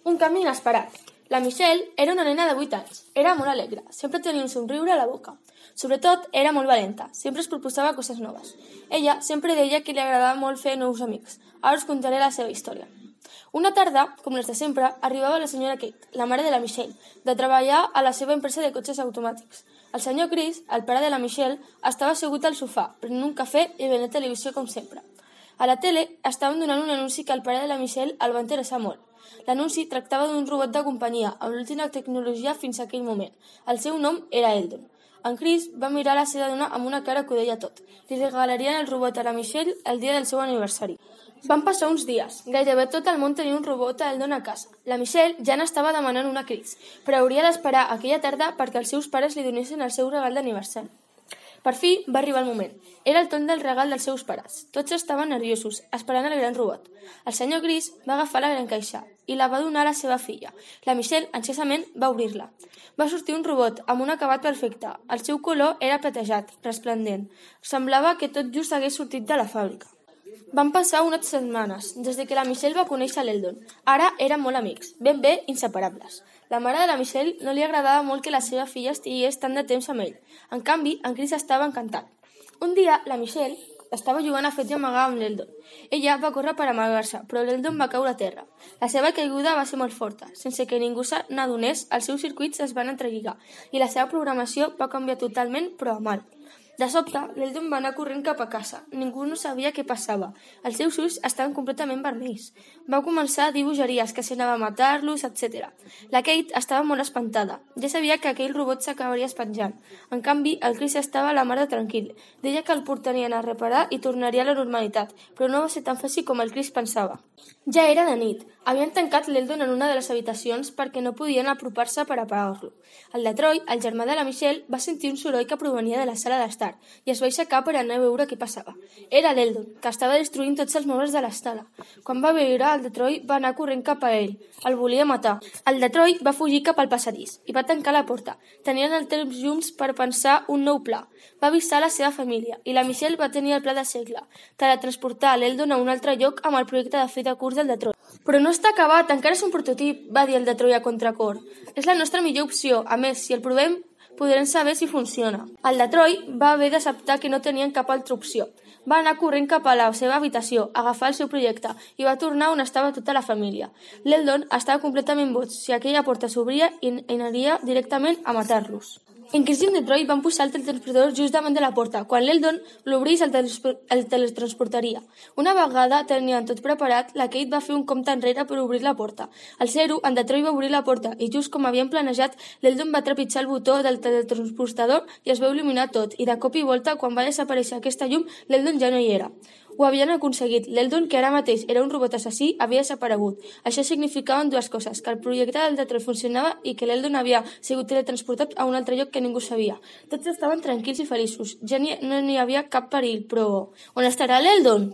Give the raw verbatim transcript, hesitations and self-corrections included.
Un canvi inesperat. La Michelle era una nena de vuit anys. Era molt alegre, sempre tenia un somriure a la boca. Sobretot, era molt valenta, sempre es proposava coses noves. Ella sempre deia que li agradava molt fer nous amics. Ara us contaré la seva història. Una tarda, com les de sempre, arribava la senyora Kate, la mare de la Michelle, de treballar a la seva empresa de cotxes automàtics. El senyor Chris, el pare de la Michelle, estava assegut al sofà, prenent un cafè i veient televisió com sempre. A la tele estaven donant un anunci que el pare de la Michelle el va interessar molt. L'anunci tractava d'un robot de companyia amb l'última tecnologia fins a aquell moment. El seu nom era Eldon. En Chris va mirar la seva dona amb una cara que ho deia tot. Li regalarien el robot a la Michelle el dia del seu aniversari. Van passar uns dies. Gairebé tot el món tenia un robot a Eldon a casa. La Michelle ja n'estava demanant una Chris, però hauria d'esperar aquella tarda perquè els seus pares li donessin el seu regal d'aniversari. Per fi va arribar el moment. Era el torn del regal dels seus pares. Tots estaven nerviosos, esperant el gran robot. El senyor Chris va agafar la gran caixa i la va donar a la seva filla. La Michelle, ansiosament, va obrir-la. Va sortir un robot amb un acabat perfecte. El seu color era platejat, resplendent. Semblava que tot just hagués sortit de la fàbrica. Van passar unes setmanes, des que la Michelle va conèixer l'Eldon. Ara eren molt amics, ben bé inseparables. La mare de la Michelle no li agradava molt que la seva filla estigués tant de temps amb ell. En canvi, en Chris estava encantat. Un dia, la Michelle estava jugant a fetge amagar amb l'Eldon. Ella va córrer per amagar-se, però l'Eldon va caure a terra. La seva caiguda va ser molt forta. Sense que ningú se n'adonés, els seus circuits es van entrelligar i la seva programació va canviar totalment, però a mal. De sobte, l'Eldon va anar corrent cap a casa. Ningú no sabia què passava. Els seus ulls estaven completament vermells. Va començar a dir bogeries, que s'anava a matar-los, etcètera. La Kate estava molt espantada. Ja sabia que aquell robot s'acabaria espenjant. En canvi, el Chris estava a la mar de tranquil. Deia que el portarien a reparar i tornaria a la normalitat, però no va ser tan fàcil com el Chris pensava. Ja era de nit. Havien tancat l'Eldon en una de les habitacions perquè no podien apropar-se per apagar-lo. El Detroit, el germà de la Michelle, va sentir un soroll que provenia de la sala d'estar i es va aixecar per anar a veure què passava. Era l'Eldon, que estava destruint tots els mobles de l'estada. Quan va veure el Detroit, va anar corrent cap a ell. El volia matar. El Detroit va fugir cap al passadís i va tancar la porta. Tenien el temps junts per pensar un nou pla. Va avisar la seva família i la Michelle va tenir el pla de segle, teletransportar l'Eldon a un altre lloc amb el projecte de fer de curs del Detroit. Però no està acabat, encara és un prototip, va dir el Detroit a contracor. És la nostra millor opció. A més, si el provem, podrem saber si funciona. El Detroit va haver d'acceptar que no tenien cap altra opció. Va anar corrent cap a la seva habitació, agafar el seu projecte i va tornar on estava tota la família. L'Eldon estava completament boig. Si aquella porta s'obria, i aniria directament a matar-los. En Chris i en Detroit van posar el teletransportador just davant de la porta. Quan l'Eldon l'obrís, el, el teletransportaria. Una vegada tenien tot preparat, la Kate va fer un compte enrere per obrir la porta. Al zero, en Detroit va obrir la porta i just com havien planejat, l'Eldon va trepitjar el botó del teletransportador i es va il·luminar tot. I de cop i volta, quan va desaparèixer aquesta llum, l'Eldon ja no hi era. Ho havien aconseguit. L'Eldon, que ara mateix era un robot assassí, havia desaparegut. Això significaven dues coses, que el projecte del Detroit funcionava i que l'Eldon havia sigut teletransportat a un altre lloc que ningú sabia. Tots estaven tranquils i feliços. Ja ni, no n'hi havia cap perill, però on estarà l'Eldon?